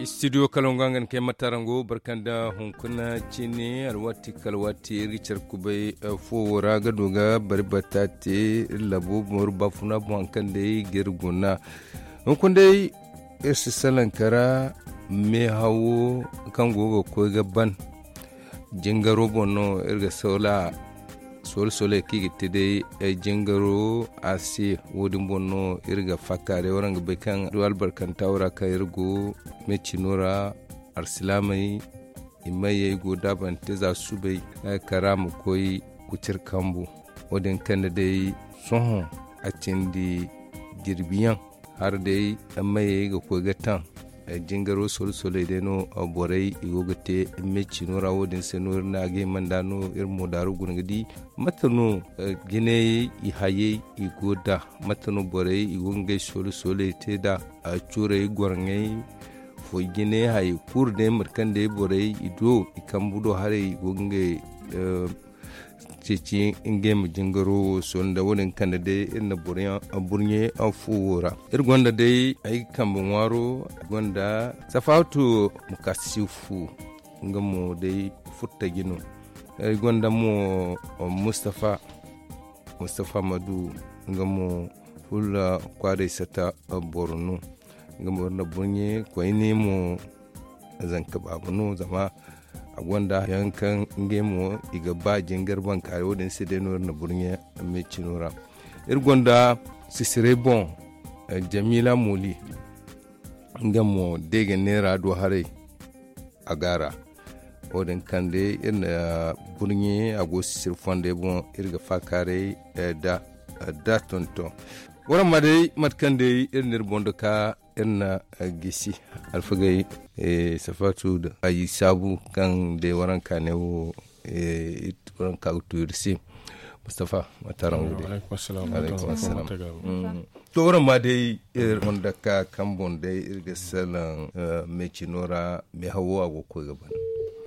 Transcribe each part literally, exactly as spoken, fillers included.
Studio kalaŋ ga nga ni kay matarango barkanda hunkuna cine alwaati kala waati iri ga care kubay fuwo ra ga du ga bari bata te iri labo boŋ iri baafuna boŋ hari kaŋ day ga iri guna. Hunkuna day iri si salaŋ kara meehawo kaŋ go ga koy ga ban. Jingaro boŋ no iri ga soola soole sooley kaŋ i ga te day jingaro a se. Wo- din boŋ no iri ga faakaaray waraŋ ga bay kaŋ du albarkanta wo ra kaŋ iri go meecino ra. Alsilaamey i mayey go daabante za subay kara ma koy kucir kambu. Wo- din kande day sohõ a cindi jirbiyaŋ. Hala day mayey ga koy ga taŋ jingaro solo-soley day no borey i go ga te meecino ra wo- din se no iri ne a ga hima nd'a no iri mo daaru guna ga di mate no jinayey i hayey i go nd'a mate no borey i go ga ngey solo-soley te nd'a. Curey gorŋey foy jinay hayey kulu day mate kaŋ day borey i do i kambu do haray i go ga ngey ceeci ngey ma jingaro wo sohõ nda wo- din kande day iri na burɲe fuwo ra. Iri gonda day ay ga kambe ŋwaaro gonda safaatu mukasifu nga mo day furtaji no. Ay gonda mo mustafa mustafa madu nga mo fulla kwaaray sata boro no. Nga mo iri na burɲe koyne mo zanka baaba no zama a gonda yaŋ kaŋ ngey mo i ga ba jingar bankaaray wo- din se day no iri na burɲe meecino ra. Iri gonda sisiray boŋ jamiila mooli nga mo day ga neera do haray a gaara. Wo- din kaŋ day iri na burɲe a go sisiri fondey boŋ iri ga faakaaray nda tonton. Waraŋ ma day mate kaŋ day iri na iri boŋ da ka iri na gisi alfagey safaatu da ay saabu kaŋ day waranka ne wo waranka ga tu iri se. Mustafa mate araŋ wo day. To waraŋ ma day iri honda ka kaŋ boŋ day iri ga salaŋ meecino ra meehawo a go ga koy ga ban.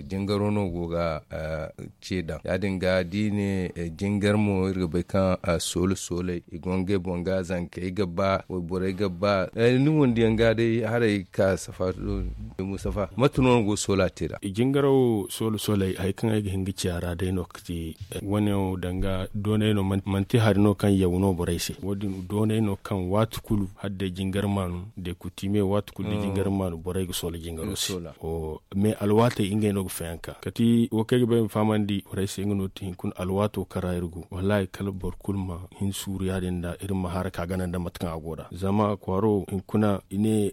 Jingaro no go ga ce daŋ ya- din ga da i ne jingar mo iri ga bay kaŋ soole sooley i go ngey boŋ ga zankey ga ba wayborey ga ba ni wondiyaŋ ga day haray ga ka safaatu. Mustafa mate no ni go ga soola te nd'a? Jingaro soole sooley hari kaŋ ay ga hin ga ci a ra day no ga ti wane wo danga doonay no manti hari no kaŋ yaw no borey se wo- din doonay no kaŋ waati kulu hala day jingar maanu day kutime waati kulu da jingar maanu borey ga soola jingaro se. Mais alwaatey ngey no ga fayanka kati wo kaŋ ay ga ba ay ma fahamandi borey se nga no ti hinkuna alwaato kaŋ ra iri go wallaahi kala boro kulu ma hin suuru ya- din nda iri ma haraka gana nda mate kaŋ a go nd'a zama kwaaro hinkuna i ne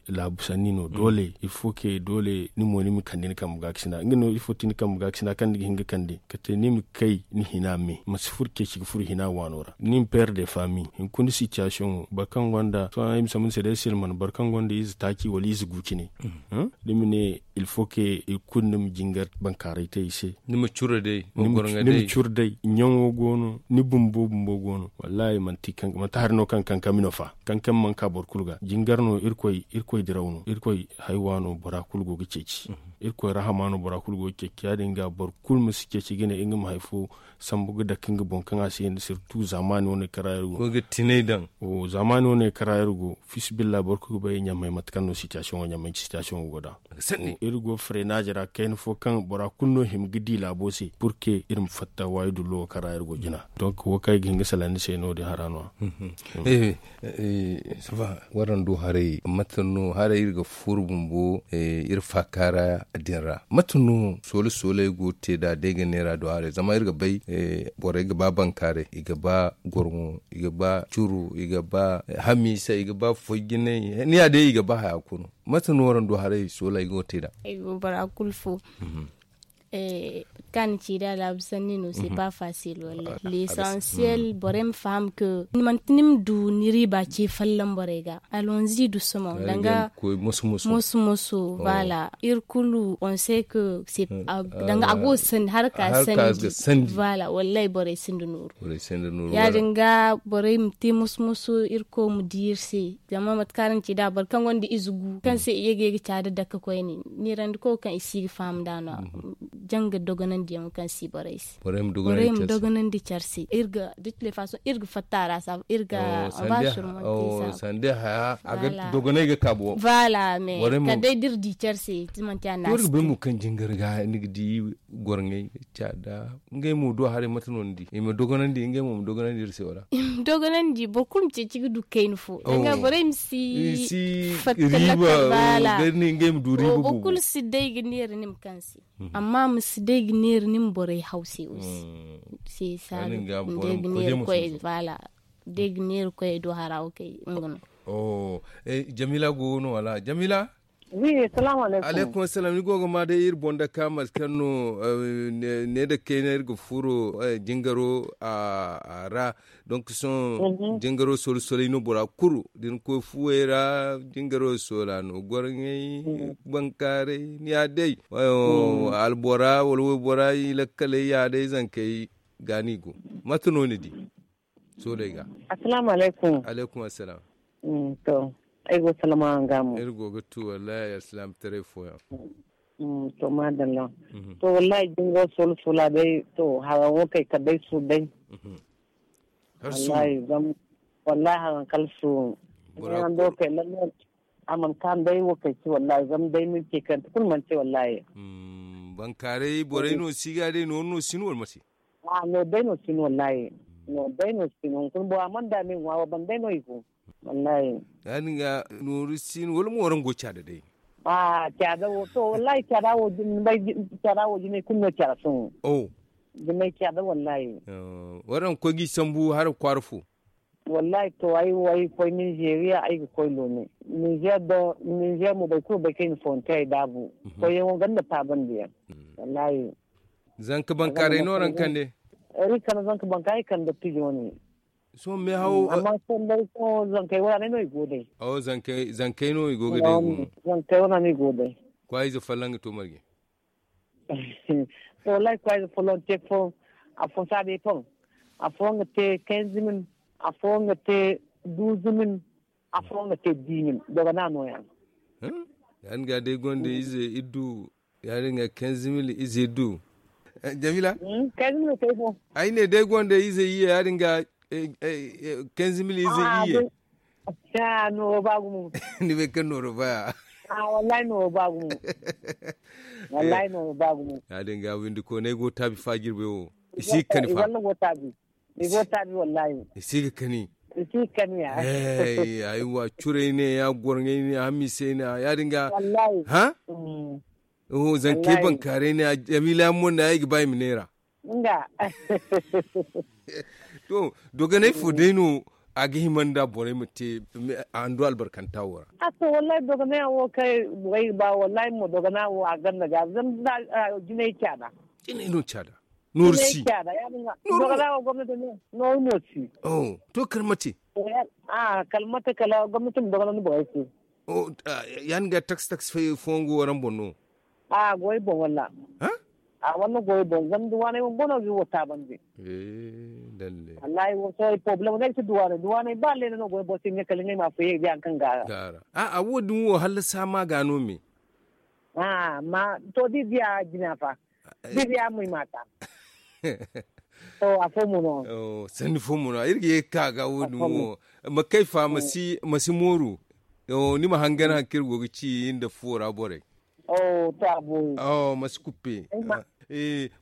laabu sanni no doole il faut que doole ni mo ni ma kande ni kambe ga ga sina nga no il faut ti ni kambe ga ga sina kaŋ ni ga hin ga kande kate ni ma kay ni hina me ma si furo ceeci ga furo hina waano ra ni ma père de famille hinkuna situation wo boro kaŋ gonda sohõ ay ma sambu ni se day silman boro kaŋ gonda ize taaci wala ize gu cine. Ni ma ne il faut que i kulu ni ma jingar bankaaray te i se. Ni ma cure day ni ma cure day ɲaŋo go no ni bumbo bumbo go no wallaahi manti hari no kaŋ kankami no fa kankami mana ka boro kulu ga jingar no irkoy diraw no irkoy haywa no bora kulu go ga ceeci. Irkoy rahama no bora kulu go ga ceeci ya- din ga boro kulu ma si ceeci ga ne nga ma hari fo sambu ga dake nga boŋ kaŋ a si hin da sirtu zaamaani wane kaŋ ra iri go ga tinay daŋ. Zaamaani wane kaŋ ra iri go fisibilla boro kulu ga bay ɲamay mate kaŋ no sitiyasiyoŋo ɲamay sitiyasiyoŋo go nd'a. Iri go freenaaje ra kayna fo kaŋ bora kulu no hima ga di laabo se pur que iri ma fatta waayi dullo wo kaŋ ra iri go jina. Donk wo kaŋ ay ga hin ga salaŋ ni se no- din hara no- ya. Waraŋ du haray mate no haray iri ga furo bumbo iri faaka ra din ra mate no soole sooley go ga te nd'a day ga neera du haray zama iri ga bay borey ga ba bankaaray i ga ba gorŋo i ga ba curu i ga ba hamiisa i ga ba foy jinay ni ya day i ga ba haya kulu. Mate no waraŋ du haray sooley go ga te nd'a? Ay go bora kulu fo kaŋ a na ci da laabu sanni no se pas facile wallaahi l'essentiel borey ma faham que manti ni ma du ni riiba ce folloŋ borey ga alonzi du somo danga moso moso voilà iri kulu on sait que danga a go ga sandi haraka sandi voilà wallaahi borey sinda nooru ya- din ga borey ma te moso moso irkoy ma di iri se zama mate kaŋ araŋ ci nd'a boro kaŋ gonda ize gu kaŋ se i ye ga ye ga ca da dake koyne neerandi koy kaŋ i si ga faham nd'a no- ya. canga dogonandiyaŋo kaŋ si borey se. Borey ma dogonandi care se iri ga de tule faso iri ga fatta a ra saabu iri ga. Sande haya a ga dogonay ga kaabu. Voilà mais kala day da iri di care se iri ga bay mo kaŋ jingar ga ni ga di gorŋay caada ngey mo do haray mate no ni di i ma dogonandi ngey mo ma dogonandi iri se wala? I ma dogonandi boro kulu ma ceeci ga du kayna fo danga borey ma si fatta lakal baala. Ngey ma du riiba boobo kulu si day ga neera ni ma kaŋ se. Amma ma si day ga neera ni ma borey haw se wo se se saaga day ga neera koy baala. Day ga neera koy do hara wo kay nga no. Jamila go no wala jamila? Alaikum assalam ni go ga ma day iri boŋ da ka mate kaŋ no ne da kayna iri ga furo jingaro a ra. Donk sohõ jingaro solo solay no bora kulu da ni koy fuwey ra. Jingaro sola no gwarŋey bankaaray ni ya day albora wala waybora i lakkaley ya day zankey ga ni go. Mate no ni di? Sooley ga. Assalaamu alaykum. Alaykum assalam. To ay go salama araŋ ga mo. Iri go ga tu wallahi alsilaamataray fooyaŋ. To maadalla. To wallahi jingo soola soola day to haraŋ wo kay kala day suuru day. Wallahi zama wallahi haraŋ kala suuru. Hando kay lalle a mana kaanu day wo kay si wallahi zama day manti kante kulu manti wallahi. Bankaaray borey no si ga day nooru no si no wala mate? A no day no si no wallahi. No day no si no hunkuna bora mana da me ŋwa wo ban day no i go. Wallahi. Ya- din ga nooru si no wala mo waraŋ go caada day? A caada wo to wallahi caada wo jinay kulu no caada sohõ. Jinay caada wallahi. Waraŋ koy ga i sambu hara kwaara fo? Wallahi to ay wo ay ga koy ninzeeriya ay ga koy loone. Ninzeer mo boro kulu bay kaŋ i na foonte ay daabu. Koyyaŋo ganda taabandiyaŋ. Wallahi. Zanka bankaaray no araŋ kande? Iri kande zanka bankaaray kande dottijo wane. Sohõ meehawo amma sohõ day sohõ zankey wane no i go day. Zankey no i go ga day. Zankey wane no i go day. Kwaayize folloŋ ga to marje? To wallahi kwaayize folloŋ te fo. Afo saabey fo. Afo nga te kenzimin. Afo nga te duuzumin. Afo nga te diimin dogana nooya. Ya- din ga day gonda ize iddu. Ya- din ga kenzimin ize iddu. Jamila. Ay ne day gonda ize iyye ya- din ga kenzimin ize iyye. Nooro ba gumo. Ni bay kaŋ nooro baya? Wallahi nooro ba gumo. Wallahi nooro ba gumo. Ya- din ga windi koonay go taabi fa jirbay wo. I si ga kani fa. I go taabi wallahi. I si ga kani. I si ga kani ya. Ay wa curay ne ya gorŋay ne hamisay ne ya- din ga. Wallahi. Zankey bankaaray ne ya jamila yaŋ mo ne ay ga ba i ma neera. Nga. To dogonay fo day no a ga hima nda borey ma te a hando albarkanta wo ra? A to wallahi dogonay yaŋ wo kaŋ borey ga ba wallahi mo dogona wo a ganda ga zama jinay caada. Jinay no caada. Nooru si. Dogona wo gomnati no nooru mo si. To kala mate? Kala mate kala gomnati ma dogona ni borey se. Ya- din ga taksi taksi fooyaŋ go waraŋ boŋ no? A go ay boŋ walla. A walla go ay boŋ zama duwaaney boŋ boŋ no ga wo taabandi. Wallahi wo sohõ ay problème no ay si duwaaney duwaaney ba leene no go ay boŋ se ɲa kala ɲa ay ma fo ye ga di hari kaŋ ga a ra. A wo- din wo hallasa ma ga no me. Amma to da i diya jina fa. Da i diya mo i ma ta. To afo mo no. Sanni fo mo no iri ga ye ga ka ga wo- din wo. Ma kay fa ma si mooru. Ni ma hangan hari kaŋ iri go ga ci nda fuwo ra borey. Ma si kuppe.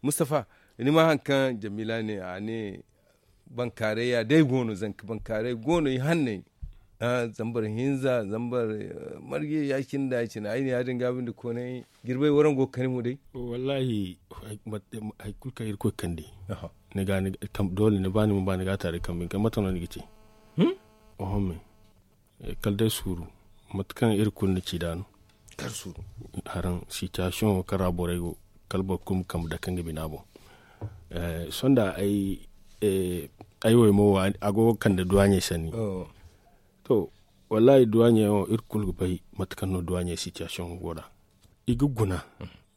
Mustafa, ni ma hari kaŋ jamila ne a ne bankaaray ya day go no zanka bankaaray go no i hanney. Zambar hinza zambar marge ya- cine nda ya- cine ay ne ya- din ga binde koonay jirbay waraŋ go ga kani mo day. Wallahi hari kulu kaŋ irkoy kandi ni ga doole ni ba ni ma ba ni ga a taari kambe ni ga mate no ni ga te. Oho me kala day suuru mate kaŋ iri kulu na ci nd'a no. Haraŋ sitiyasiyoŋo kaŋ ra borey go kala boro kulu ma kambe dake nga bina boŋ. Sohõ da ay wo ay mo wo a go ga kande duwaaɲey sanni. To wallahi duwaaɲey wo iri kulu ga bay mate kaŋ no duwaaɲey sitiyasiyoŋo go nd'a. I ga guna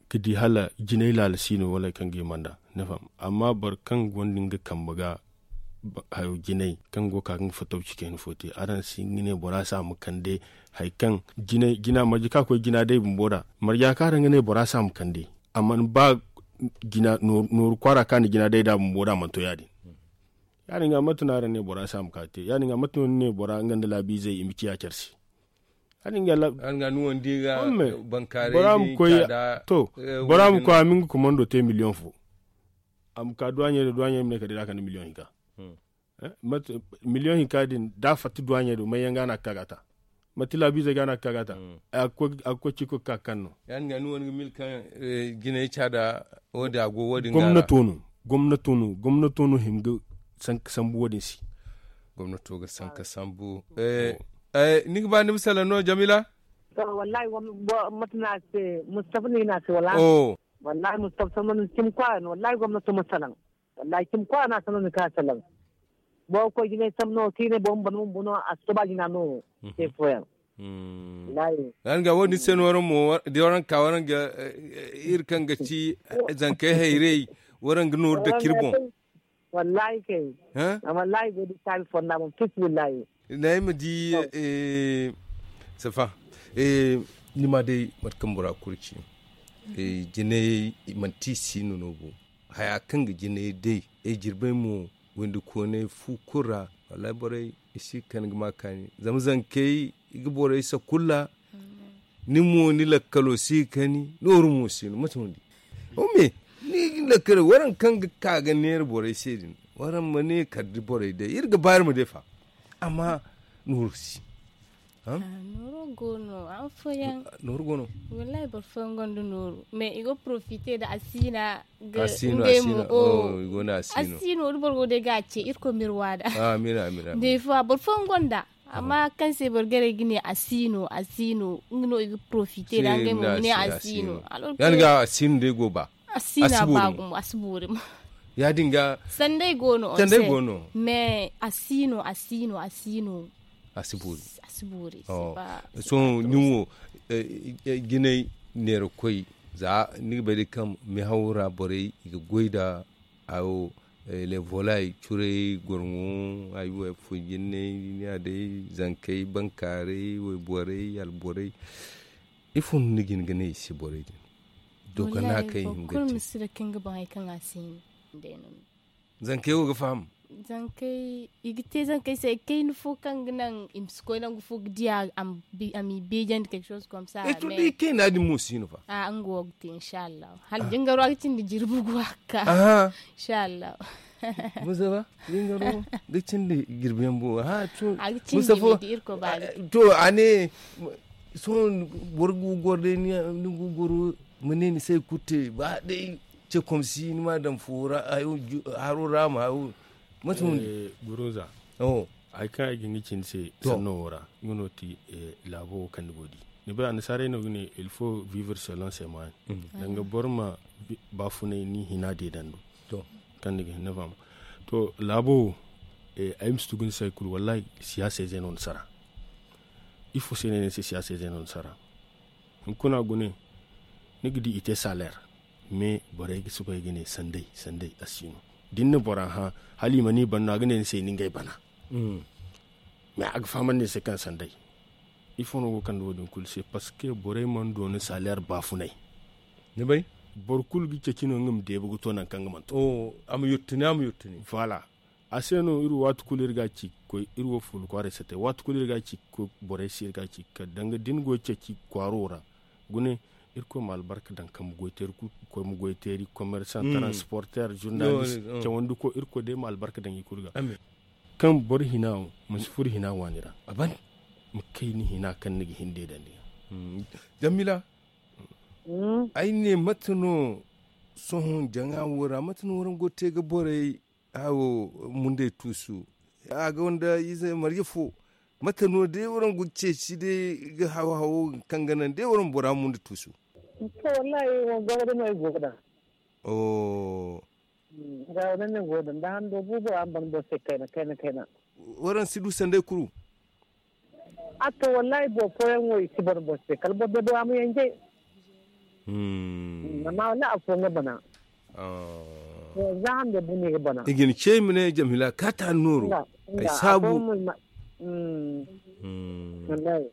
ga di hala jinay laala si no wala hari kaŋ ga hima nd'a. Ni faham? Amma boro kaŋ gonda nga kambe ga hayo jinay kaŋ go ga ka ga nga fatawci kayna fo te araŋ si hin ga ne bora se a ma kande hari kaŋ jina marje kaŋ a koy jina day bumbo nd'a marja kaŋ araŋ ga ne bora se a ma kande. A mana ba nooru kwaara kaŋ a na jina day nd'a bumbo da a mana to ya- din. Ya- din ga mate no araŋ ne bora si a ma ka te ya- din ga mate no ni ne bora nga nda laabiizey i ma ciya care se? Ya- din ga laabiizey bora ma koy a ma nga kumando te miliyoŋ fo. A ma ka duwaaɲey do duwaaɲey ma ne kala day da a kande miliyoŋ hinka. Miliyoŋ hinka din da a fatta duwaaɲey do may yaŋ ga no a ga ka ga a ta? Manti laabiizey ga no a ga ka ga a ta? A ga koy ciiko ga ka ga kaŋ no. Ya- din ga ni wane ga mil kaŋ jinay ca da wo- din a go wo- din ga ra. Gomnato no gomnato no hima ga sanka sambu wo- din se. Gomnato ga sanka sambu. Ni ga ba ni ma salaŋ no jamila? To wallahi, mate no a se mustafa no i ne a se wala? Wallahi mustafa sambu no cimi kwaara no wallahi gomnato ma salaŋ. Wallahi cimi kwaara no a salaŋ ni ka salaŋ. Boro ga koy jinay sambu no kaŋ i ne boro ma bana bumbo no a si to ba jina no. Te fooyaŋ. Wallahi. Yaŋ ga wo- din se no waraŋ mo da waraŋ ka waraŋ ga iri kaŋ ga ci zankey hayrey waraŋ ga nooru dake iri boŋ. Wallahi kay. Amma wallahi go da taabi fonda boŋ fis billahi. Naay ma di. Safa, ni ma day mate kaŋ bora kulu ci. Jinay manti i si no no bo. Haya kaŋ ga jinay day ay jirbay mo windi koonay fu kulu ra. Wallahi borey i si ga kani ga ma kaani zama zankey i ga borey sakulla. Ni mo ni lakkalo si ga kani nooru mo si no mate no di. Ome ni lakkalo waraŋ kaŋ ga ka ga neera borey se din waraŋ ma ne kala da borey day iri ga ba iri ma day fa. Amma nooru si. Nooro go no han fooyaŋ. Nooro go no. Wallahi boro fooyaŋ gonda nooru mais i go profite nda asiina. Asiino asiino. Asiino da boro go day ga a ce irkoy ma iri waada. Day fo boro fooyaŋ gonda. Amma kaŋ se boro garay ga ne asiino asiino nga no i ga profite nda ngey mo ma ne asiino. Yaŋ ga asiino day go ba. Asiina ba gumo a si boori mo. Ya- din ga sanday go no. Sanday go no. Mais asiino asiino asiino. A si boori. Sohõ ni wo jinay neera koy za ni ga bay day kaŋ mehaw ra borey i ga goy nda hayo. Levolay curay gorŋo ay wo ay fo jinnay ni a day zankey bankaaray wayborey alborey. Ifo no ni ga hin ga ne i se borey din? Dogonda kaŋ i hin ga te. Zankey wo ga faham. Zankey i ga te zankey se kayna fo kaŋ ga naŋ i ma si koy nangu fo ga diya a m'i beejandi quelque chose comme ça. Ay to day kayna din mo si no fa. Nga wo ga te inshallah hala jingaro a ga cindi jirbi gu a ga ka. Inshallah. Muzaba jingaro ga cindi jirbi yaŋ bo. Mustafo to a ne sohõ boro ga goro day ni ga goro ma ne ni se kulu te ba day. Ce komsi ni ma daŋ fo ra haro ra ma hayo. Mate no ni guruza. Hari kaŋ ay ga hin ga ci ni se sanno wo ra nga no ti laabo wo kaŋ ni go di. Ni bay annasaarey no ga ne il faut vivre selon ses moyens. Danga boro ma baafunay ni hina deedando. Kaŋ ni ga hin ni faham. To laabo wo ay ma si tugu ni se hari kulu wallahi siyaasa ize no ni sara. Ifo se no ay ne ni se siyaasa ize no ni sara? Hunkuna gune ni ga di i te saleer. Mais borey ga soobay ga ne sanday sanday a si no. Da ni na bora hã hala i mana i ban no a ga ne ni se ni ngey bana. Mais a ga fahamandi ni se kaŋ sanday. Ifo no go kande wo- din kulu se parce que borey mana doona saleer baafunay. Ni bay? Boro kulu ga ceeci no nga ma deeba ga to nangu kaŋ nga mana to. A ma yurtini a ma yurtini. Voilà. A se no iri wo waati kulu iri ga a ci ga koy iri wo fuula kwaaray satay waati kulu iri ga a ci ga koy borey se iri ga a ci ga kar danga da ni go ga ceeci kwaaro ra. Gune irkoy ma albarka daŋ kambe goy teeri kulu ga koy ma goy teeri commerçant transporter journaliste cawandi koy irkoy day ma albarka daŋ i kulu ga. Kaŋ boro hina wo ma si furo hina waani ra. Ma kay ni hina kaŋ ni ga hin deedandi ga. Jammila. Ay ne mate no sohõ jaŋa wo ra mate no waraŋ go ga te ga borey hawo munday tuusu? A gonda ize marje fo. Mate no day waraŋ go ga ceeci day ga haw hawo kaŋ ga naŋ day waraŋ bora munda tuusu? To wallahi wo goro da no ay go ga daŋ. Nga wo ne go da nda hando bubu a ma ban boro se kayna kayna kayna. Waraŋ si du sanday kuru. A to wallahi boro fooyaŋ wo i si boro boro se kala boro de bora ma yanjay. Amma wala afo nga bana. Za hande buni ga bana. I ga ni ce i ma ne jamhila ka ta nooro. Ay saabu. Wallahi.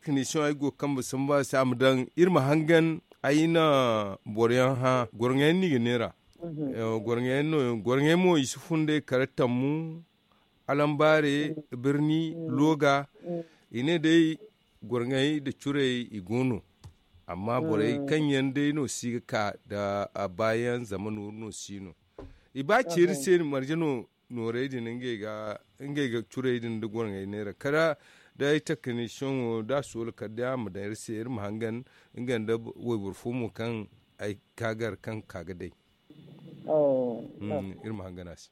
Kini sohõ ay go kambe samba se a ma daŋ iri ma hangan. Ay na boro yaŋ hã goro ŋey no i ga neera. Goro ŋey mo i si fun day kala tammu, alambaare, birni, looga. I ne day goro ŋey nda curey i go no. Amma borey kaŋ yaŋ day no si ga ka nda a baayaŋ zama nooru no si no. I ba ceeri se marje no noorey din ngey ga curey din nda goro ŋey neera kala da ay takaniisiyaŋo da a soola kala day a ma daŋ iri se iri ma hangan nga nda wayboro fo mo kaŋ ay kaagar kaŋ ka ga day. Iri ma hangan a se.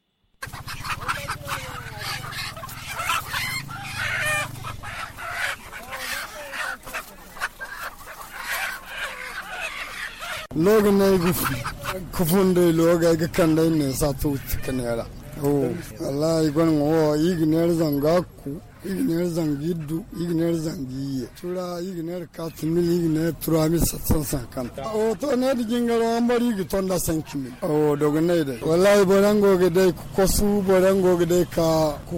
Looga no ay ga fun ka fun day looga ay ga kande ay ne saatu wutti ka neera. Wallahi ay gonda ŋwa wo i ga neera zanga ku i ga neera zanga iddu i ga neera zanga iyye tura i ga neera kaati mil i ga neera tura mil sattan sankanta. Wo to ne da jingaro an bari i ga tonda sanki mil. Wo dogonay day wallahi boro yaŋ go ga day ka kosu boro yaŋ go ga day ka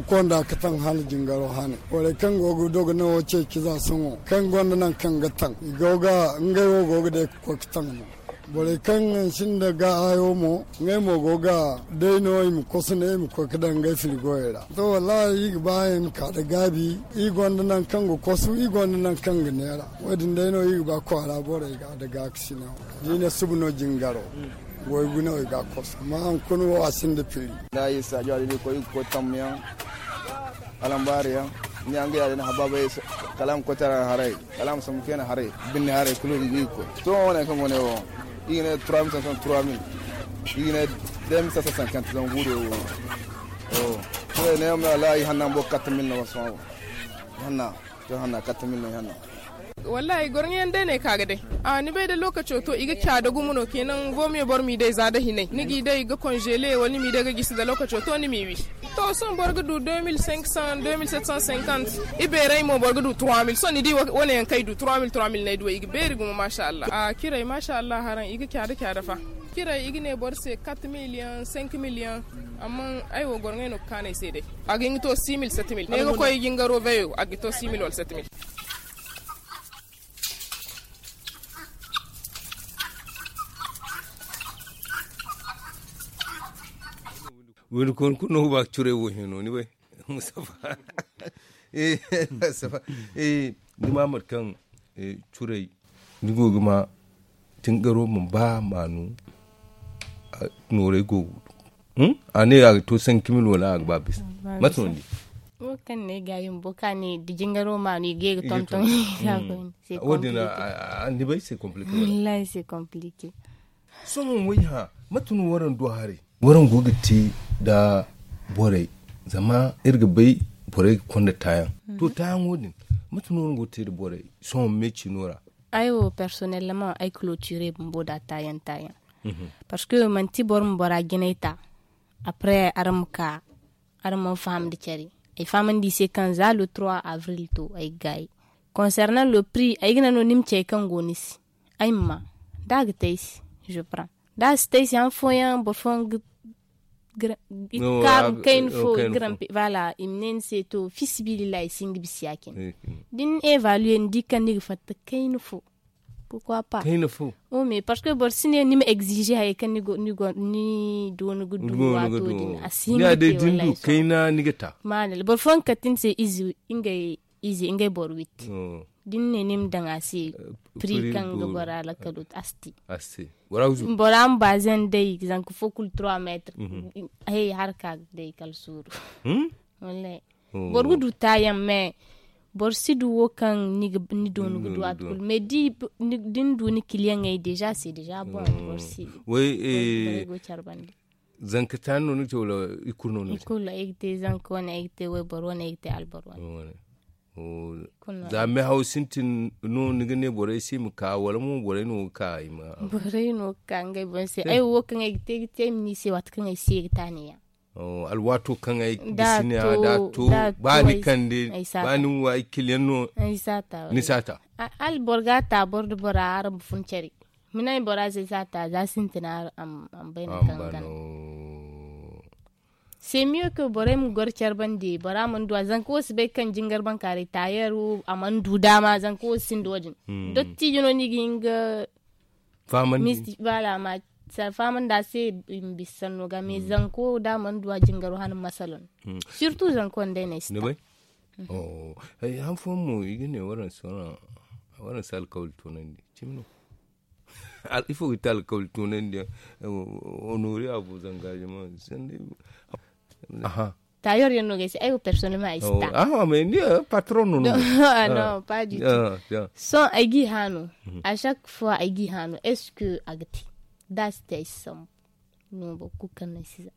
konda ka taŋ hala jingaro hane. Borey kaŋ go ga dogonay wo ceeci za sohõ kaŋ gonda nangu kaŋ ga taŋ i go ga ngey wo go ga day ka koy ka taŋ no. Borey kaŋ sinda ga hayo mo ngey mo go ga day no i ma kosu ne i ma koy ka daŋ ngey firigoyey ra. To wallahi i ga ba i ma ka nda gaabi i gonda nangu kaŋ ga kosu i gonda nangu kaŋ ga neera. Wo- din day no i ga ba kwaara borey ga nda gaakasina. Da i ne suba no jingaro goy guna wo i ga a kosu amma hunkuna wo a sinda firi. Da i saajo a da i koy i ga koy tammuyaŋ alambaari yaŋ ni yaŋ ga yaadin habaabay kala a ma koy tara haray kala a ma sambu feena haray binne haray kulu i ga koy sohõ wane kaŋ go ne wo i ga ne trois mille cinq cent trois mille i ga ne deux mille cinq cent cinquante zama guure wo. Sohõ ne yaŋ ma wala i hanna bumbo quatre mille no sohõ. Hanna to hanna quatre mille no i hanna. Wallahi gorŋo yaŋ day no ay ka ga day. A ni bay da lookaco to i ga caada gumo no kenan vomiyo boro m'i day za da hinay ni g'i day ga konzele wala ni m'i day ga gisi da lookaco to ni m'i wi. To sohõ boro ga du deux mille cinq cent deux mille sept cent cinquante. Ibeerey mo boro ga du trois mille sohõ ni di wane yaŋ kaŋ ay du trois mille trois mille no ay du ay i ga beeri gumo maasa allah a ciray maasa allah haraŋ i ga caada caada fa. Ciray i ga ne boro se quatre mille yaŋ cinq mille yaŋ. Amma ay wo gorŋey no ga kaanu ay se day. A ga hin ga to six mille sept mille ne ga koy jingaro veyo a ga to six mille wala sept mille. Wani konkuna ba curay wo hino ni bay. Mustafa. Mustafa. Ni ma mate kaŋ curay ni go ga ma tingaro ma ba maanu. Nooray go a ne a ga to cinq mille wala a ga ba bisa. Mate no ni di? Wo kaŋ ne ga yin bo ka ne da jingaro maanu i ga ye ga tonton. Wo- din ni bay se komplike wallahi se komplike. Sohõ way hã mate no waraŋ du haray? Waraŋ go ga te nda borey zama iri ga bay borey ga konda taayaŋ. To taayaŋo din mate no waraŋ go ga te nda borey sohõ me ciino ra? Ay wo personnellement ay clôture bumbo da taayaŋ taayaŋ. Parce que manti boro ma bora jinay ta. Après araŋ ma ka araŋ mana faham nda care. Ay fahamandi i se kaŋ za le trois avril to ay ga gaayi. Concernant le prix ay ga naŋ no ni ma ci hari kaŋ go ni se. Ay ma ma da a ga te ay se je prends da a si te ay se han fooyaŋ boro fooyaŋ ga kaarum kayna fo i ga rampe voilà i ma ne ni se to fiisabilillahi ay si hin ga bisa ya- cine. Da ni évaluer ni di kaŋ ni ga fatta kayna fo. Pourquoi pas? Kayna fo. Oh mais parce que boro si ne ni ma exige hayey kaŋ ni go ni go ni doonu ga du waato din a si hin ga te wallahi. Kayna ni ga ta. Maadalla boro fooyaŋ ga kate ni se ize ngey ize ngey boro witti. Da ni ne ni ma daŋ a se prix kaŋ ga bora lakkalo a si te. Bora ma baazen day zanka fo kulu trois mètres. Hey harka day kala suuru. Wallahi. Boro ga du taayaŋ mais boro si du wo kaŋ ni doonu ga du waati kulu mais da ni du ni kiliyaŋey déjà c'est déjà bon. Boro si du. Way. Go care bande. Zanka taani no ni ga te wala i kulu no ni ga te? Ay ga te zanka wane ay ga te wayboro wane ay ga te alboro wane. Za mehaw sintin no ni ga ne borey se i ma ka wala mo borey no ga ka i ma? Borey no ga ka ngey boŋ se ay wo kaŋ ay ga te ay ga te ay ma ne i se waati kaŋ ay se ga taani yaŋ. Alwaato kaŋ ay ga gisi ne a da to ba ni kande ba ni wa ay kiliyaŋ no. Ni saata. Hala boro ga a ta boro nda bora araŋ ma fun care. Mina ay bora se saata za sintina araŋ ma bay nangu kaŋ ga gana. C'est mieux que borey ma goro care bande bora mana du a zanka wo si bay kaŋ jingar bankaaray taayeer wo a mana du daama zanka wo si sinda wo- din. Dottijo no ni ga hin ga Fahamandi. Bala ma sara fahamandi a se. I ma bisa sanno ga mais zanko da a mana du a jingaro hana masalan. Surtout zanko nda ay na ay si ta. Han fooyaŋ mo i ga ne waraŋ si alkawali toonandi cimi no. Ifo ga ti alkawali toonandi yaŋ? Honori a bo zanga jama sanda. Aha. Tayor yaŋ no ga ay se ay wo personnellement ay si ta. Aha mais ni patron no no. Non, pas du tout. Sohõ ay g'i haanu. À chaque fois ay g'i haanu est-ce que a ga te? Da a si te ay si sambu. No boro kulu kaŋ no ay si za.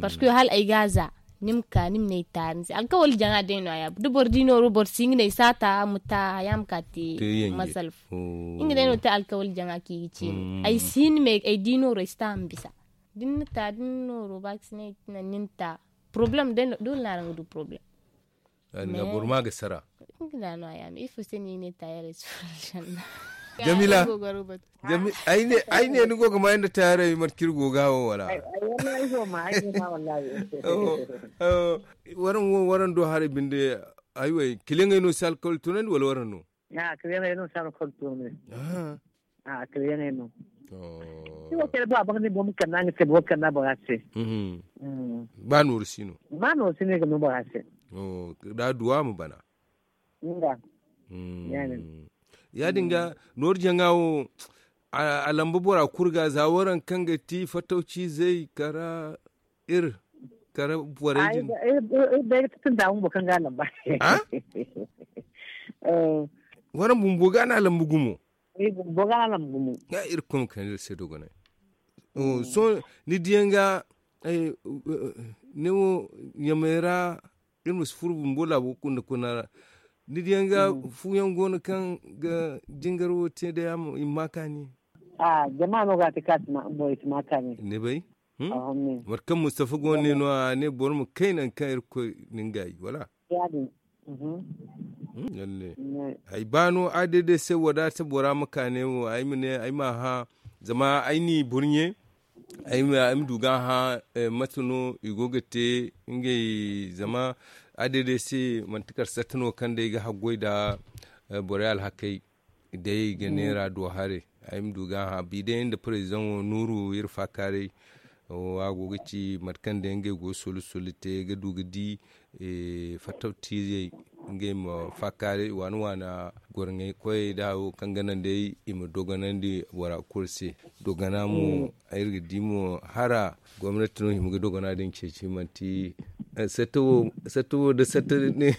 Parce que hala ay ga a za ni ma ka ni ma ne ay taari ni se alkawali jaŋa day no a ya da boro di nooro boro si nga ne ay saata ma ta haya ma ka te. Masalfu nga day no te alkawali jaŋa kaŋ i ga ceeni ay si hin me ay di nooro ay si ta a ma bisa. Da ni na ta da ni nooro ba ga si ne ay ti naŋ ni na ta. Problème day no doole no araŋ ga du problème. Boro ma ga sara. Nga da no a ya me ifo se no i ne taayaray si furo aljanna? Jamila. Ay ne ni go ga ma ay nda taayaray mate kaŋ iri go ga wo wala? Waraŋ wo waraŋ do haray binde. Ay wo kiliyaŋey no si alkawali tunandi wala waraŋ no? Kiliyaŋey no si alkawali tunandi. Kiliyaŋey no. Ifo kala ba a bangandi boro ma kande a nga te boro kande a bora se. Ba nooru si no. Ba nooru si no i ga no bora se. Da duwa ma bana. Nga. Ya- din ga nooru jaŋa wo. A lamba bora kulu ga za waraŋ kaŋ ga ti fatawci zey kara iri kara borey din. Iri bay ga tattun da bumbo kaŋ ga a lamba. Waraŋ bumbo ga no a lamba gumo. Bumbo ga no a lamba gumo. Iri koy ma kande iri se dogonay. Sohõ ni diyaŋ ga ne wo ɲamey ra. Iri ma si furo bumbo laabo kunda kuna ra. Ni diyaŋ ga fu yaŋ go no kaŋ ga jingar wo te day i ma ma kaani. Jama no ga a te kaŋ a si ma kaani. Ni bay? Mate kaŋ mustafa go no ne no a ne boro ma kay nangu kaŋ irkoy na nga yi wala? Ya- din. Ay ba no a day day se wadaata bora ma ka ne wo ay ma ne ay ma a hã. Zama ay n'i burɲe ay ma du ga a hã. Mate no i go ga te ngey zama a day day se manti kala satta no kaŋ day ga haggoy nda borey alhakey. Day ga neera do haray ay ma du ga a hã bi day nda president wo nuuru iri faakaaray. A go ga ci mate kaŋ day ngey go solu solu te ga du ga di fattaw tiizey ngey ma faakaaray waana waana gorŋey koyey da hayo kaŋ ga naŋ day i ma dogonandi bora kulu se. Dogana mo iri ga di mo hara gomnati no hima ga dogana din ceeci manti satta wo da satta ne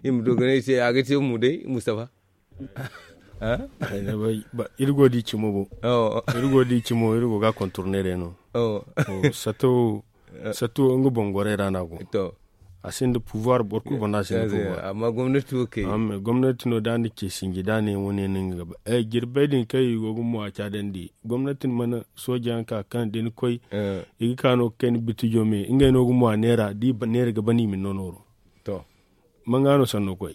i ma dogonay se a ga te mo day mustafa. Iri go di cimo bo. Iri go di cimo iri go ga contourner day no. Sato sato nga bongorey ra no a go. A sinda pouvoir boro kulu banda a sinda pouvoir. Amma gomnati wo kay gomnati no da ni ce sinji da ne wane no nga ga ba jirbey din kaŋ i go ga mo a caadandi gomnati mana sooja yaŋ ka kaŋ da ni koy i ga ka no ga kay ni bitijo me ngey no ga mo a neera da i neera ga ban i ma ni no nooro. Manga no sanno koy.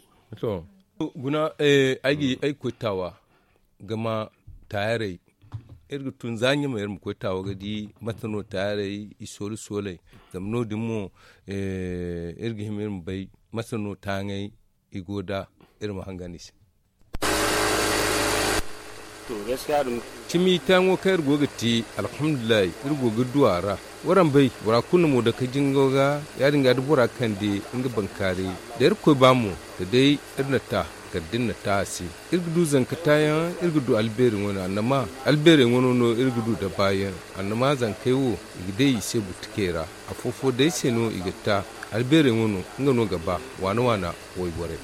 Guna ay ga koy taawa ga ma taayarey. Iri ga tun za ɲamey iri ma koy taawa ga di mate no taayarey i soolu sooley. Zama no- din mo iri ga hima iri ma bay mate no taaŋey i go nda iri ma hangan i se. Cimi taayaŋo kaŋ iri go ga te alhamdulillahi iri go ga du a ra. Waraŋ bay bora kulu na mo dake jingo ga ya- din ga da bora kande nga bankaaray da irkoy ba mo da day iri na ta kala da iri na ta a se. Iri ga du zanka taayaŋ iri ga du albeeri wane annama albeerey wano no iri ga du da baayaŋ. Annama zankey wo i ga day i se butikey ra afo-fo day se no i ga ta. Albeerey wano nga no ga ba waana-waana wayborey.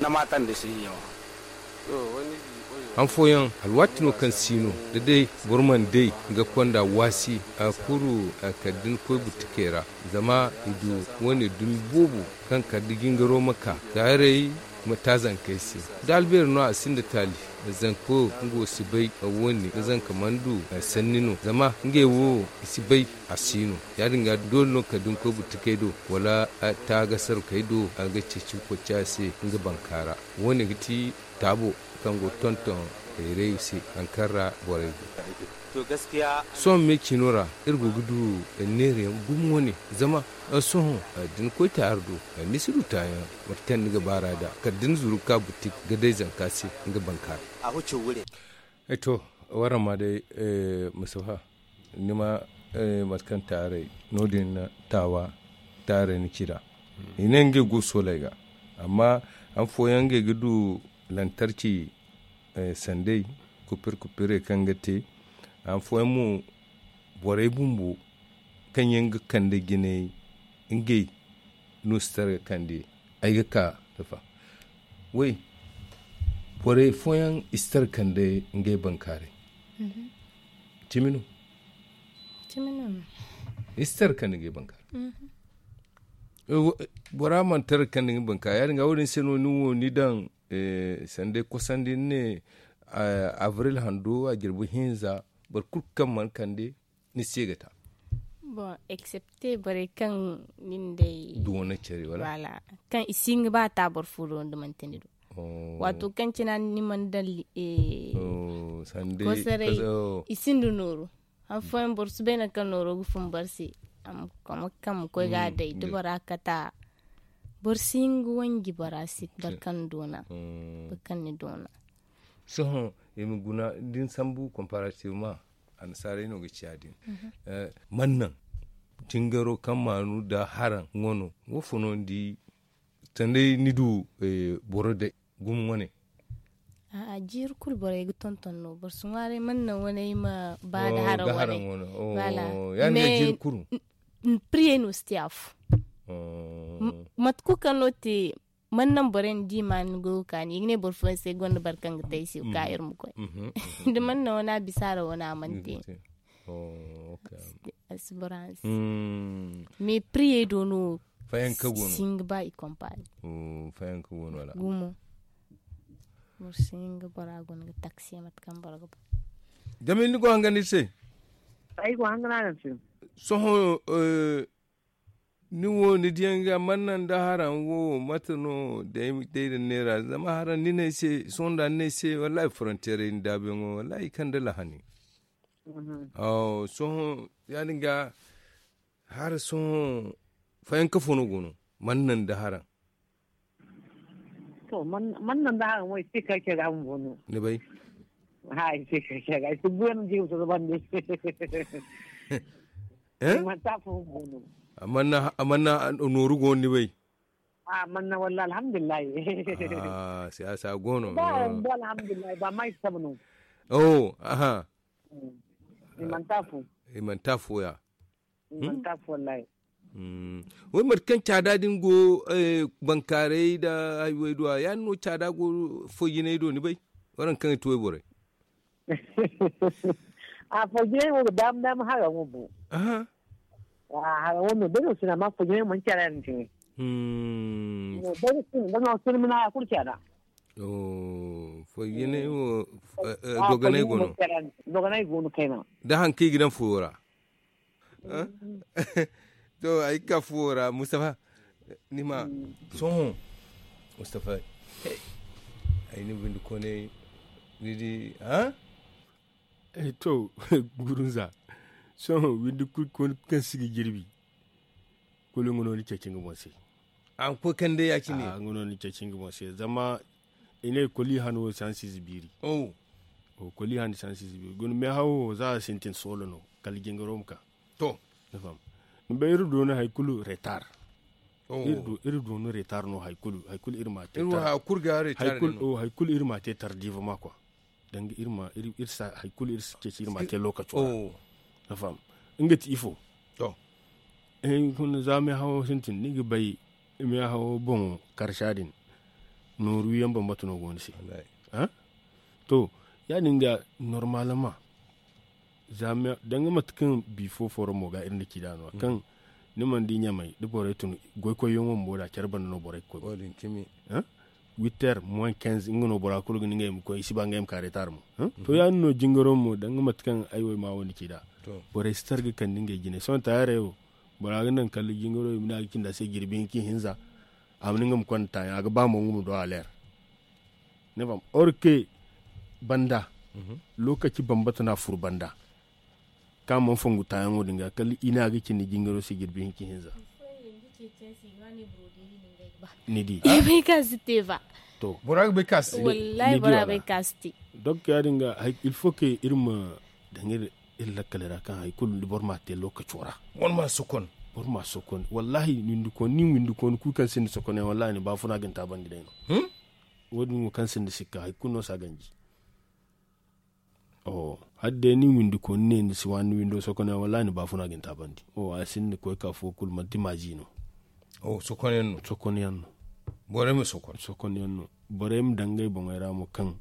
Han fooyaŋ alwaati no kaŋ si no da day boro mana day ga konda waasi a kuru kala da ni koy butikey ra. Zama i du wane dumi boobo kaŋ kala da jingaro ma ka taarey ma ta zankey se. Da albeeri no a sinda taali zanko nga wo si bay woone ga zanka mana du sanni no zama ngey wo i si bay. A si no ya- din ga doole no kala da ni koy butikey do wala taagasarkey do a ga ceeci ga koy ci a se nga banka ra. Woone ga ti taabo kaŋ go ga tonton hayray se hari kaŋ ra borey go. Sohõ me cino ra iri go ga du neerayaŋ gumo wane zama sohõ da ni koy taari do ni si du taayaŋ mate kaŋ ni ga baar'a nd'a kala da ni zuru ga ka butik ga day zanka se nga banka ra. To Warama day, mustafa, ni ma mate kaŋ taaray no- din na taawa taaray ni ci nd'a. I ne ngey go sooley ga, amma han fooyaŋ ngey ga du lantarki, sandey, kupir kupirey kaŋ ga te. Han fooyaŋ mo, borey bumbo kaŋ yaŋ ga kande jinay, ngey no si tara ga kande. Ay ga ka tafa, way, borey fooyaŋ i si tara ga kande ngey bankaaray. Cimi no. I si tara ga kande ngey bankaaray. Bora mana tara ga kande ngey bankaaray ya- din ga wo- din se no ni wo ni daŋ sanda ay kosandi ni ne, abril hando a jirbi hinza, boro kulu kaŋ mana kande ni se ga ta. Bon, excepte borey kaŋ nin day doona care wala kaŋ i si hin ga ba ta boro fo do nda manti ni do. Wato kaŋ cina ni mana daŋ kosaray, i sinda nooru. Han fooyaŋ boro si bay nangu kaŋ nooro ga fun boro se. Amma kaŋ ma koy ga a day da bora kata, boro si hin ga wanji bora se boro kaŋ doona, boro kaŋ ni doona. Sohõ i ma guna da ni sambu comparativement, annasaarey no ga ci ya- din. Man naŋ jingaro kaŋ maanu nda haraŋ wano wo fo no ni di? Sanday ni du boro day gumo wane. A'a, jiiri kulu borey ga tonton no, boro si ŋwaaray man naŋ wane ay ma ba nda haraŋ wane. Wala ya- din ga jiiri kulu. Priyey no si te a fo. Mate kulu kaŋ no te, man naŋ borey na di ma ni goyo kaani i ga ne boro fooyaŋ se gonda boro kaŋ ga te ay se ga ka iri ma koy. Da man naŋ wane a bisa ra wane a mana te. A si boro hanse. Mais priyey do no fayanka go no. Singa ba i compare. Fayanka go no wala gumo. Boro singa bora go no ga taksi mate kaŋ boro ga ba. Jami ni go hanga ni se. Ay go hanga na se. Soho. Ni wo ni diyaŋ ga manna nda haraŋ wo mate no day da neera zama haraŋ ni ne ay se sohõ nda ni ne ay se wallahi frontiere ni daabeyaŋo wallahi i kande lahani. Sohõ ya- din ga hara sohõ fayanka fo no go no manna nda haraŋ. To manna nda haraŋ wo i se kay care ga bumbo no. Ni bay? Ha i se kay care ga i se buyan jigim soso bande. Manti afo bumbo no. Amanna nooru go no ni bay? Amanna walla alhamdulillahi. Siyasa go no. Ba alhamdulillahi ba ma i sabu no. Oh aha. I manti afo. I manti afo ya. I manti afo wallahi. Way mate kaŋ caada din go bankaaray nda hayway do a ya- din no caada go foyjinay do ni bay? Waraŋ kaŋ i ti wayborey. A foyjinay wo ga daama daama haraŋo bo. Haraŋo no day no sina amma foyjinay mana caada din cine. Day no sina da no sina mina ya kulu caada. Foyjinay wo dogonay go no. Dogonay go no kayna. Da haŋ kaŋ i ga daŋ fuwo ra. To ay ga ka fuwo ra mustafa. Ni ma sohõ mustafa. Ay ni bindi kone ni di ha. To gurunza sohõ windi kulu kaŋ si ga jirbi. Kulu nga no ni ceeci nga boŋ se. A ga koy kande ya- cine. Nga no ni ceeci nga boŋ se zama i ne koli han wo sansize biiri. Koli han sansize biiri guna meehawo za a sintin soolo no kala jingaro ma ka. To. Ni bay iri doona hari kulu retar. Iri doona retar no hari kulu hari kulu iri ma te. Hari kulu iri ma te tardive ma kwa. Danga iri ma iri sa hari kulu iri si ceeci iri ma te lookaco ra. Ni faham? Nga ti ifo. To. Za meehawo sintin ni ga bay meehawo boŋo karsa din. Nooru yaŋ bambata no go ni se. To, ya- din ga normalement. Danga mate kaŋ bi fo foro mo ga iri na ci da no kaŋ ni mana di ɲamay da borey tun goykoyyaŋo bumbo da care banda no borey ga koy. Witer moins quinze nga no bora kulu ga ni ngey ma koy i si ba ngey ma ka retar mo. To ya- din no jingaro mo danga mate kaŋ ay wo ay ma wo ni ci da. Borey si tar ga kande ngey jine sohõ taayarey wo bora ga naŋ kala jingaro i ma ne a ga cindi a se jirbi hinka i hinza. A ma ne nga ma konda taayaŋ a ga ba mo nga ma do a leer. Ni faham or que banda lokaci bambata no a furo banda. Kaŋ a mana fongu taayaŋo din ga kala i ne a ga cindi jingaro se jirbi hinka i hinza. Ni di. Ay bay kaŋ a si te ba. To bora ga bay kaŋ a si te. Wallahi bora bay kaŋ a si te. Donc ya- din ga, il faut que iri ma daŋ iri lakkal ra kaŋ hari kulu da boro ma a te lookaco ra. Boro ma a sokon. Boro ma a sokon, wallahi. Windi kooni nin windi kooni kulu kaŋ sinda sokonyaŋ, wallahi ni baafuna ga ni taabandi day no. Wo- din wo kaŋ sinda sikka hari kulu no si a ganji. Hala day nin windi kooni ne ni si waani ni windo sokonyaŋ, wallahi ni baafuna ga ni taabandi. A sinda koy ka fo kulu manti maazi no. Sokonyaŋ no. Borey ma sokon. Sokonyaŋ no. Borey ma daŋ ngey boŋey ra mo kaŋ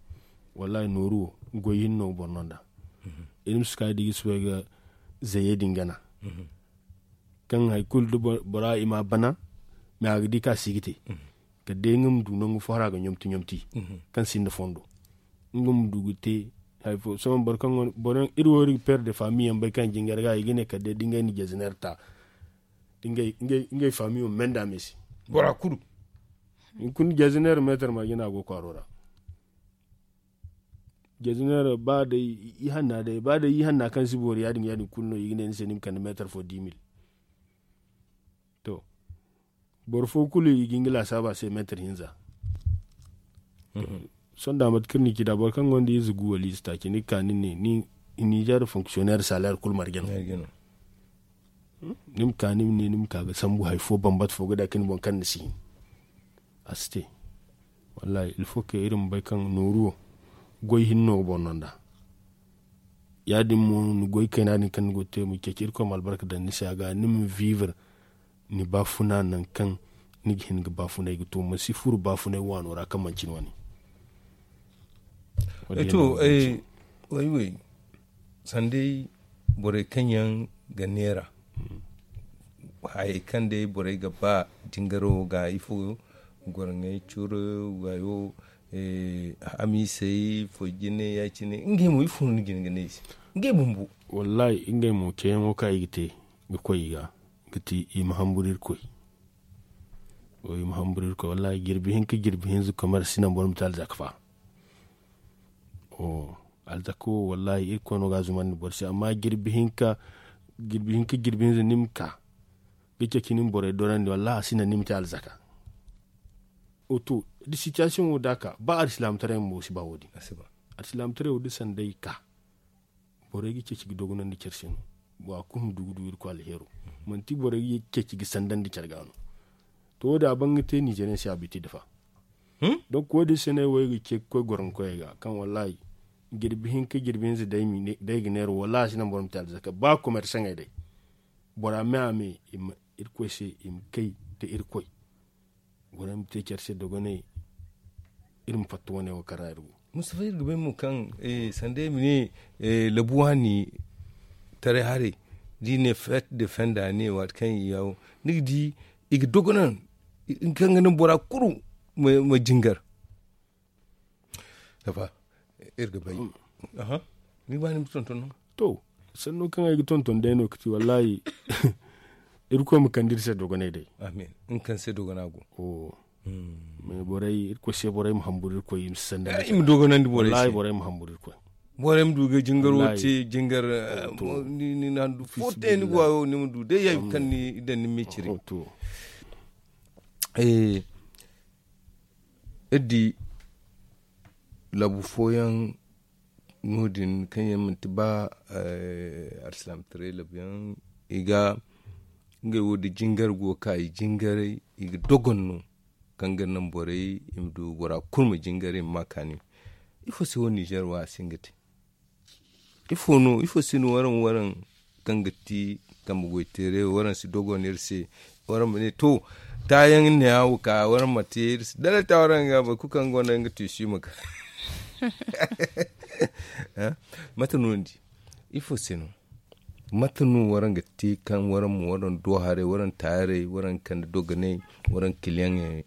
wallahi nooru wo goy hinne no ga boro no nd'a. Iri ma si ka da i ga soobay ga zayey din gana. Kaŋ hari kulu da bora i ma a bana, mais a ga di kaŋ a si ga te. Kala day nga ma du nangu fo hari a ga ɲomti ɲomti kaŋ sinda fondo. Nga ma du ga te hari fo sohõ boro kaŋ go no boro yaŋ iri wo iri ga père de famille yaŋ bay kaŋ jingar ga i ga ne kala day da ngey na jaziner ta. Ngey famille wo menda me se. Bora kulu. Hunkuna jaziner meetar marje no a go kwaaro ra. Jaziner ba day i hanna day ba day i hanna kaŋ si boori ya- din ya- din kulu no i ga ne ni se ni ma kande meetar fo dix mille. To, boro fo kulu i ga hin ga laasaaba se meetar hinza. Sohõ da mate kaŋ ni ci da boro kaŋ gonda ize gu wala ize taaci ni ga ka ni ne ni nizer fonctionnaire salaire kulu marje no. Ni ma ka ni ma ne ni ma ka ga sambu hari fo bambata fo ga da ka ni boŋ kaŋ ni si hin. A si te. Wallahi il faut que iri ma bay kaŋ nooru wo goy hinne no ga boro no nd'a. Ya- din mo ni goy kayna din kaŋ ni go ga te ma ceeci irkoy ma albarka daŋ ni se a ga ni ma vivre ni baafuna nangu kaŋ ni ga hin ga baafunay ga to ma si furo baafunay waano ra kaŋ manci ni wane. To, way way. Sanday borey kaŋ yaŋ ga neera hayey kaŋ day borey ga ba jingaro ga ifo gorŋey curo wayo, hamisey fo jine ya- cine ngey mo ifo no ni jine ga ne i se? Ngey bumbo. Wallahi ngey mo ceeyaŋo kaŋ i ga te ga koy i ga ga ti i ma hamburu irkoy. I ma hamburu irkoy wallahi jirbi hinka jirbi hinza komer si naŋ boro ma te alzaka fa. Alzaka wo wallahi irkoy no ga a zumandi boro se amma jirbi hinka jirbi hinza ni ma ka ga ceeci ni ma borey dorandi wallahi a si naŋ ni ma te alzaka. To, da sitiyasiyoŋ wo da a ka ba alsilaamataray mo si ba wo- din. Alsilaamataray wo da sanday ka borey ga ceeci ga dogonandi care se no. Bora kulu ma du ga du irkoy alheero. Manti borey ga ceeci ga sandandi care ga no. To wo- din a ban ga te nizeeriyaŋ se a biti dafa. Donk wo- din se no ay wo ay ga ce ga koy goroŋkoyey ga kaŋ wallahi jirbi hinka jirbi hinza day ga neera wallahi a si naŋ boro ma te alzaka ba komersaŋey day. Bora me a me irkoy se i ma kay nda irkoy. Borey ma te care se dogonay. Iri ma fatta wane wo kaŋ ra iri go. Mustafa iri ga bay mo kaŋ sanda iri ma ne labu waani taray haray da i ne feet de fenda ne waati kaŋ i yawo ni ga di i ga dogonan kaŋ ga naŋ bora kulu ma jingar. Safa iri ga bay. Ni ga ba ni ma tonton no? To, sanno kaŋ ay ga tonton day no ga ti wallahi. Irkoy ma kande iri se dogonay day. Amin. Nga kaŋ se dogona go. Mais borey irkoy se borey ma hamburu irkoy i ma si sanda i ma dogonandi borey se. Borey ma hamburu irkoy. Borey ma du ga jingaro te jingar. Ni na handu fo te ni go a wo ni ma du day ya kaŋ ni daŋ ni ma ciri. Iri di labu fooyaŋ no- din kaŋ yaŋ manti ba alsilaamataray labu yaŋ i ga ngey wo da jingar go ga ka i jingaray i ga dogon no. Kaŋ ga naŋ borey i ma du bora kulu ma jingaray i ma ma kaani. Ifo se wo nizer wo a si hin ga te? Ifo no ifo se no waraŋ waraŋ kaŋ ga ti kambe goy teeray waraŋ si dogon iri se? Waraŋ ma ne to taayaŋ ne a wo ka waraŋ ma te iri se dala ta waraŋ ga boro kulu kaŋ gonda nga tiisi ma ka. Mate no ni di? Ifo se no? Mate no waraŋ ga te kaŋ waraŋ ma waraŋ do haray waraŋ taayaray waraŋ kande dogonay waraŋ kiliyaŋey?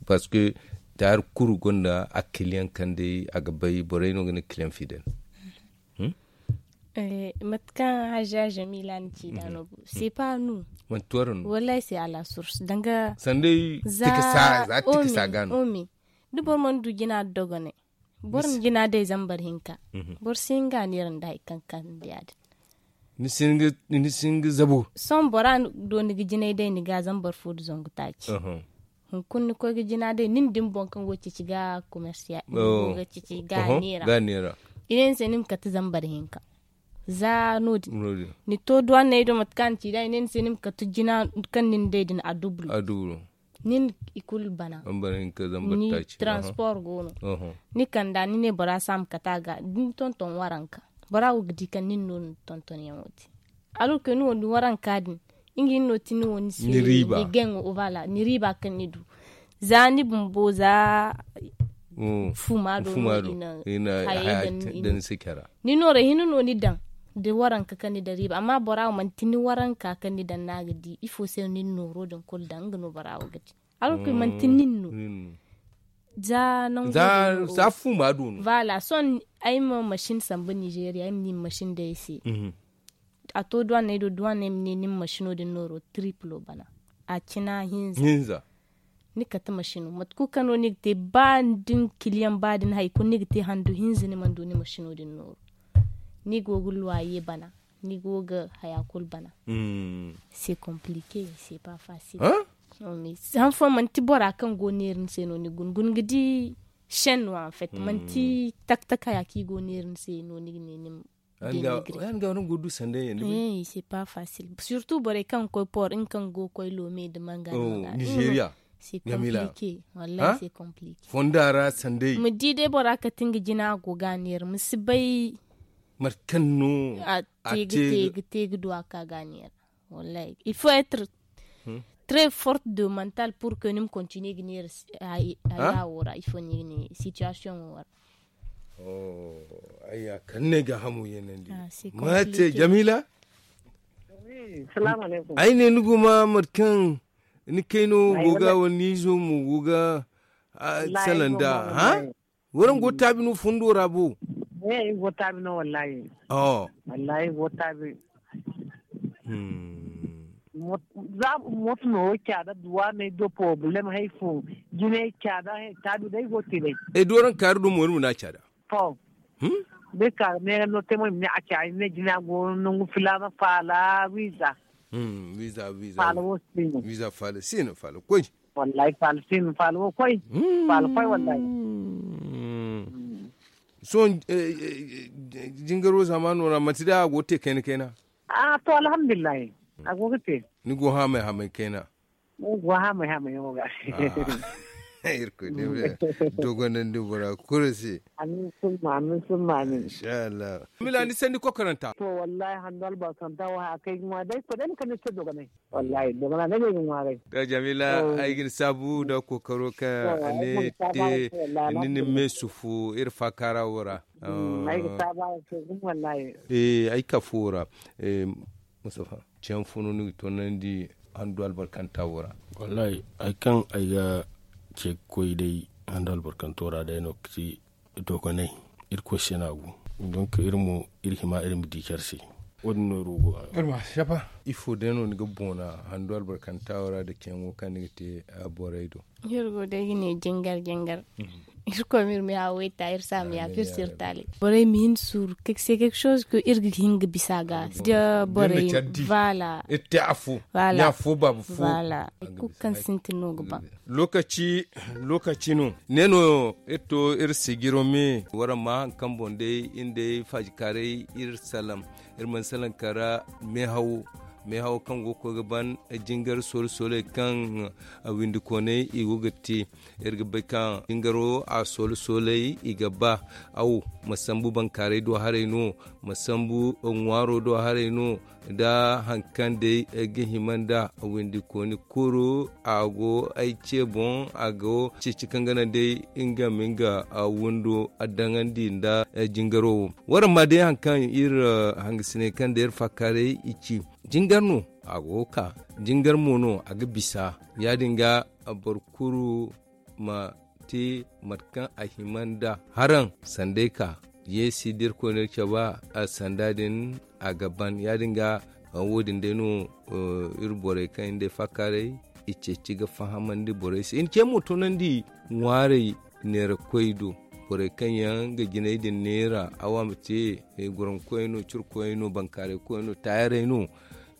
Parce que taayar kulu gonda a kiliyaŋ kaŋ day a ga bay borey no ga ne kiliyaŋ fidel. Mate kaŋ haja jamila ni ci da no bu c'est pas nous. Manti waraŋ no wallahi c'est à la source danga sanda ay za tikasa za tikasa ga no. Da boro mana du jina dogonay boro na jina day zambar hinka. Boro si hin ga a neera nda hari kaŋ kaŋ nda ya- din. Ni si hin ga zabo sohõ bora do ni ga jinay day ni ga zambar fo da zangu taaci. Hunkuna ni koy ga jina day nin da ni boŋ kaŋ go ga ceeci ga komersiya ga ceeci ga neera. I ne ni se ni ma kate zambar hinka. Za no- din ni to duwanney do mate kaŋ a na ci da i ne ni se ni ma kate jina kaŋ nin day din a dubulu. Nin i kulu bana. Ni transport go no. Ni kanda ni ne bora si a ma kate a ga da ni tonton waranka bora wo ga di kaŋ nin no ni tonton yaŋo te. Alorke ni wo ni waranka din nga hinno ti ni wo ni se ni gaŋo bala ni riiba kaŋ ni du. Za ni bumbo za fuma do no i na hayey daŋ ni se care ra. Ni nooray hinne no ni daŋ da waranka kaŋ ni daŋ riiba amma bora wo manti ni waranka kaŋ ni daŋ no a ga di ifo se no ni na nooro din kulu daŋ nga no bora wo ga di. Alorke manti nin no. Za nangu za fuma do no. Sohõ ay ma masin sambu nizeeriya ay ma ni masin day ay se. A to duwanney do duwanney ma ne ni ma masino din nooro triplo bana. A cina hinza. Ni kate masino mate kulu kaŋ no ni ga te ba da ni kiliyaŋ ba da ni hari kulu ni ga te handu hinza ni mana du ni masino din nooro. Ni go ga luwaye bana ni go ga haya kulu bana. C'est compliqué, c'est pas facile. Han fooyaŋ manti bora kaŋ go neera ni se no ni guna guna ga di chaîne no en fait manti tak tak haya kaŋ i go neera ni se no ni ga ne ni ma. Yaŋ ga waraŋ go ga du sanda yaŋ da bay. C'est pas facile surtout borey kaŋ ga koy port nga kaŋ ga go ga koy loome nda manga nda manga. Nizeeriya. C'est compliqué. Wallahi c'est compliqué. Fonda ra sanday ma di day bora kate nga jina a go ga a neera ma si bay. Mate kaŋ no a te ga te ga du a ka ga a neera. Wallahi il faut être très forte de mental pour que ni ma continuer ga neera. Haya wo ra ifo ni ga ne situation wo ra. Ayya kala ne ga hamo yaŋ nandi. Mate jamila. Ay ne ni guma mate kaŋ ni kayno go ga wala ni izo mo go ga salanda ha. Waraŋ go taabi no fundo ra bo. Ay go taabi no wallahi. Wallahi go taabi. Za moto no wo caada duwa ne do problem hay fo. Jine caada taabi day go te day. Ay do waraŋ kaari do mo ni ma na caada. To. Day ka ne no te mo ni ma ne a caada ne jina go nangu filaana faala wiiza. Wiiza wiiza faala wo sino. Wiiza faala sino faala koy. Wallahi faala sino faala wo koy. Faala koy wallahi. Sohõ jingaro zaamaano ra manti day a go ga te kayna kayna. To alhamdulillahi. A go ga te. Ni go haamay haamay kayna. Ni go haamay haamay yaŋo ga. Irkoy ne me dogonandi bora kulu se. Amin summa amin summa amin. Inshallah. Mila ni sandi kokoranta. To wallahi handu albarkanta wo haya kaŋ ay ga ŋwa day ko day ni kande se dogonay. Wallahi dogonay ne ay ga ŋwaaray. To jamila ay ga ni saabu nda kokaro kaŋ ne te ni na me sufu iri faakaara wo ra. Ay ga saabu araŋ se gumo wallahi. Ay kafo wo ra. Mustafa, ceeyaŋ fo no ni ga toonandi handu albarkanta wo ra? Wallahi hari kaŋ ay ga ce ga koy day handu albarkanto ra day no ga ti dogonay. Irkoy se no a go. Donk iri mo iri hima iri ma di care se. Wo- din no iri wo go ga. Ifo day no ni ga boona handu albarkanta wo ra nda ceeyaŋo kaŋ ni ga te borey do? Iri go day ga ne jingar jingar. Irkoy ma iri ma ya wayta iri se a ma yaafa iri se iri taali. Borey ma hin suuru se quelque chose que iri ga hin ga bisa ga da borey. Voilà. Iri te afo. Voilà. Ɲa fo baaba fo. Voilà. Hari kulu kaŋ sintin no ga ba. Lokaci lokaci no ne no iri to iri sijiro me wara ma hari kaŋ boŋ day iri day faajikaaray iri salaŋ. Iri mana salaŋ kara meehawo meehawo kaŋ go ga koy ga ban jingar soola sooley kaŋ windikooney i go ga te. Iri ga bay kaŋ jingaro a soola sooley i ga ba aw ma sambu bankaaray do haray no ma sambu ŋwaaro do haray no nda hari kaŋ day ga hima nda windikooni kulu a go ay ce boŋ a go ceeci kaŋ ga naŋ day nga ma nga windo daŋandi nda jingaro wo. Waraŋ ma day hari kaŋ iri hangasiney kaŋ day iri faakaaray i ci jingar no a go ga ka jingar mo no a ga bisa. Ya- din ga boro kulu ma te mate kaŋ a hima nda haraŋ sanday ka yeesi da irkoy no iri cabe a sanda din a ga ban ya- din ga wo- din day no iri borey kaŋ iri day faakaaray i ceeci ga fahamandi borey se i na ce mo toonandi ŋwaarey neerakoy do borey kaŋ yaŋ ga jinay din neera awa ma te guraŋ koyey no cire koyey no bankaaray koyey no taayaray no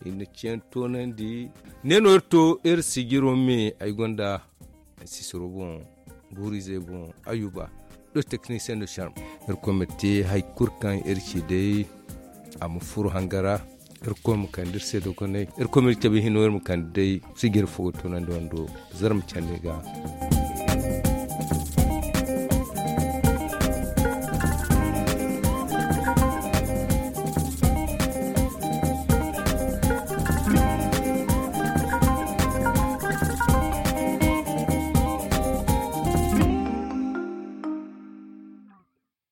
i na ce yaŋ toonandi. Ne no iri to iri sijiro me ay gonda Sisiro boŋ, guurizey boŋ, ayuba, do teknisiyen do sharm. Irkoy ma te hari kulu kaŋ iri ci day, a ma furo hangara. Irkoy ma kande iri se dogonay. Irkoy ma iri cabe hino iri ma kande day. Sijiri fo ga tunandi wando, zarma candi ga.